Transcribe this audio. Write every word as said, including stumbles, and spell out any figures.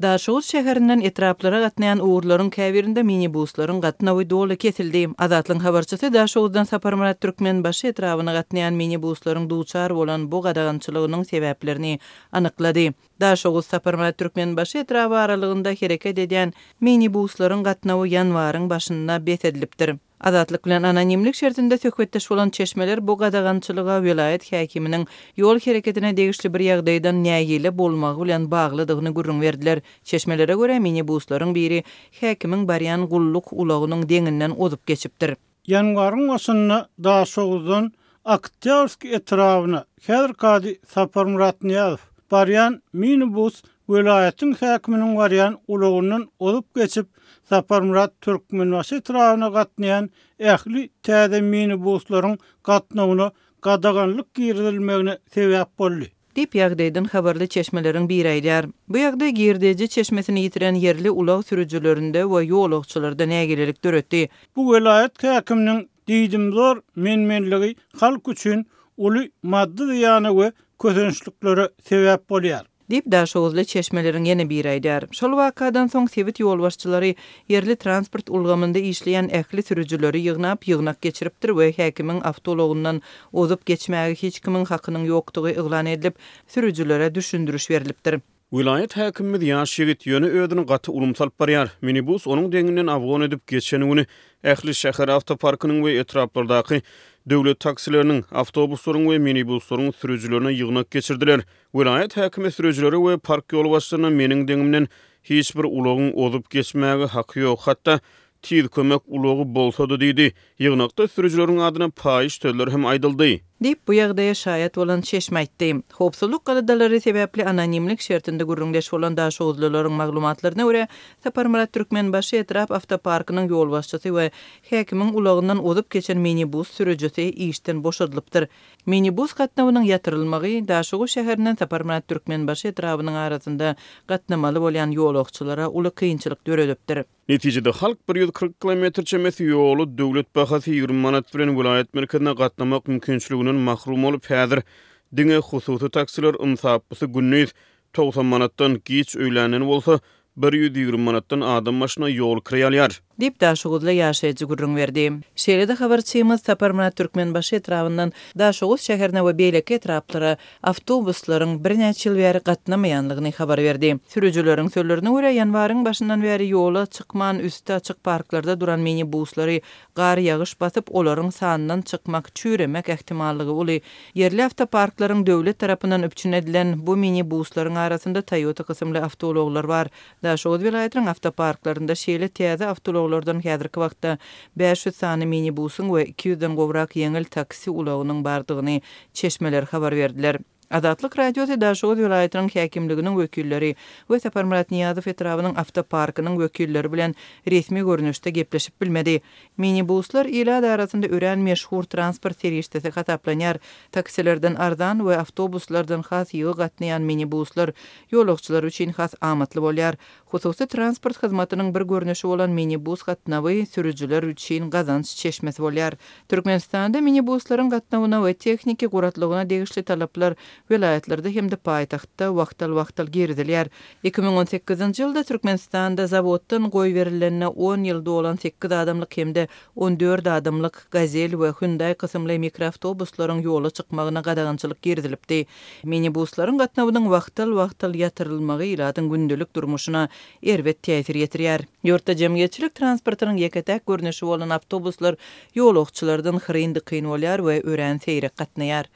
Daşoguz şäherinden etraplara gatnaýan ugurlaryň käbirinde minibuslaryň gatnawy doly kesildi. Azatlygyň habarçysy Daşoguzdan Saparmyrat Türkmenbaşy etrabyna gatnaýan minibuslaryň duçar bolan bu gadagançylygynyň sebäplerini anyklady. Daşoguz Saparmyrat Türkmenbaşy etraby aralygynda hereket edýän minibuslaryň gatnawy ýanwaryň başynda bes edilipdir. Azatlyk bilen anonimlik şertinde söhbetdeş bolan çeşmeler bu gadagançylyga welaýat häkiminiň ýol hereketine degişli bir ýagdaýdan nägile bolmagy bilen baglydygyny gürrüň berdiler. Çeşmelere görä, minibuslaryň biri häkimiň barýan gulluk ulagynyň deňinden ozup geçipdir. Ýanwaryň başynda Daşoguzdan Oktýabrskiý etrabyna, häzirki ady Saparmyrat Nyýazow, barýan minibus welaýatyň häkiminiň barýan ulagyndan ozup geçip, Saparmyrat Türkmenbaşy etrabyna gatnaýan ähli täze minibuslaryň gatnawyna gadaganlyk girizilmegine sebäp boldy. Diýip, ýagdaýdan habarly çeşmeleriň biri aýdýar. Bu ýagdaý girdeji çeşmesini ýitiren ýerli ulag sürüjilerinde we ýolagçylarda nägilelik döretdi. Bu welaýat häkiminiň diýdimzor men-menligi halk üçin uly maddy zyýana we kösençliklere sebäp bolýar. Diýip, daşoguzly çeşmeleriň ýene biri aýdýar. Şol wakadan soň sebit ýolbaşçylary ýerli transport ulgamynda işleýän ähli sürüjileri ýygnap, ýygnak geçiripdir we häkimiň awtoulagyndan ozup geçmäge hiç kimiň hakynyň ýokdugy yglan edilip, sürüjilere düşündiriş berlipdir. Welaýat häkimimiz ýaş ýigit, ýöne özüni gaty ulumsy alyp barýar. Minibus onuň deňinden abgon edip geçen güni ähli şäher awtoparkynyň we etraplardaky döwlet taksileriniň, awtobuslaryň we minibuslaryň sürüjilerine ýygnak geçirdiler. Welaýat häkimi sürüjilere we park ýolbaşçylaryna meniň deňimden hiç bir ulagyň ozup geçmäge haky ýok, hatda Tiz kömek ulagy bolsa-da diýdi. Ýygnakda sürüjileriň adyna paýyş sözler hem aýdyldy. Diýip, bu ýagdaýa şaýat bolan çeşme aýtdy. Howpsuzlyk aladalary sebäpli anonimlik şertinde gürrüňdeş bolan daşoguzlylaryň maglumatlaryna görä, Saparmyrat Türkmenbaşy etrap awtoparkynyň ýolbaşçysy we häkimiň ulagyndan ozup geçen minibus sürüjisi işden boşadylypdyr. Minibus gatnawynyň ýatyrylmagy Daşoguz şäherinden Saparmyrat Türkmenbaşy etrabynyň arasynda gatnamaly bolýan ýolagçylara uly kynçylyk döredipdir. Netijede, halk bir ýüz kyrk kilometr çemesi ýoly döwlet bahasy ýigrimi manat bilen welaýat merkezine gatnamak mümkinçiliginden mahrum bolup, häzir diňe hususy taksiler ynsaplysy gündiz togsan manatdan, giç öýländen bolsa bir ýüz ýigrimi manatdan adam başyna ýol kireý alýar. Diýip, daşoguzly ýaşaýjy gürrüň berdi. Şeýle-de habarçymyz Saparmyrat Türkmenbaşy etrabyndan Daşoguz şäherine we beýleki etraplara awtobuslaryň birnäçe ýyl bäri gatnamaýanlygyny habar berdi. Sürüjileriň sözlerine görä, ýanwaryň başyndan bäri ýola çykman, üsti açyk parklarda duran minibuslary gar-ýagyş basyp, olaryň sandan çykmak, çüýremek ähtimallygy uly. Ýerli awtoparklaryň döwlet tarapyndan üpjün edilen bu minibuslaryň arasynda Toyota kysymly awtoulaglar bar. Daşoguz welaýatynyň awtoparklarynda şeýle täze awtoulaglardan häzirki wagtda bäş ýüz sany minibusyň we iki ýüzden gowrak ýeňil taksi ulagynyň bardygyny çeşmeler habar berdiler. Azatlyk Radiosy Daşoguz welaýatynyň häkimliginiň wekilleri we Saparmyrat Nyýazow etrabynyň awtoparkynyň wekilleri bilen resmi görnüşde gepleşip bilmedi. Minibuslar ilat arasynda örän meşhur transport serişdesi hasaplanýar. Taksilerden arzan we awtobuslardan has ýygy gatnaýan minibuslar ýolagçylar üçin has amatly bolýar. Hususy transport hyzmatynyň bir görnüşi bolan minibus gatnawy sürüjiler üçin gazanç çeşmesi bolýar. Türkmenistanda minibuslaryň gatnawyna we tehniki guratlygyna degişli talaplar welaýatlarda hem-de paýtagtda wagtal-wagtal girizilýär. Iki müň on sekizinji ýylda Türkmenistanda zawoddan goýberilenine on ýyl dolan sekiz adamlyk hem-de on dört adamlyk Gazel we Hyundai kysymly mikroawtobuslaryň ýola çykmagyna gadagançylyk girizilipdi. Minibuslaryň gatnawynyň wagtal-wagtal ýatyrylmagy ilatyň gündelik durmuşyna erbet täsir ýetirýär. Ýurtda jemgyýetçilik transportynyň ýeke-täk görnüşi bolan awtobuslar ýolagçylardan hyryn-dykyn bolýar we örän seýrek gatnaýar.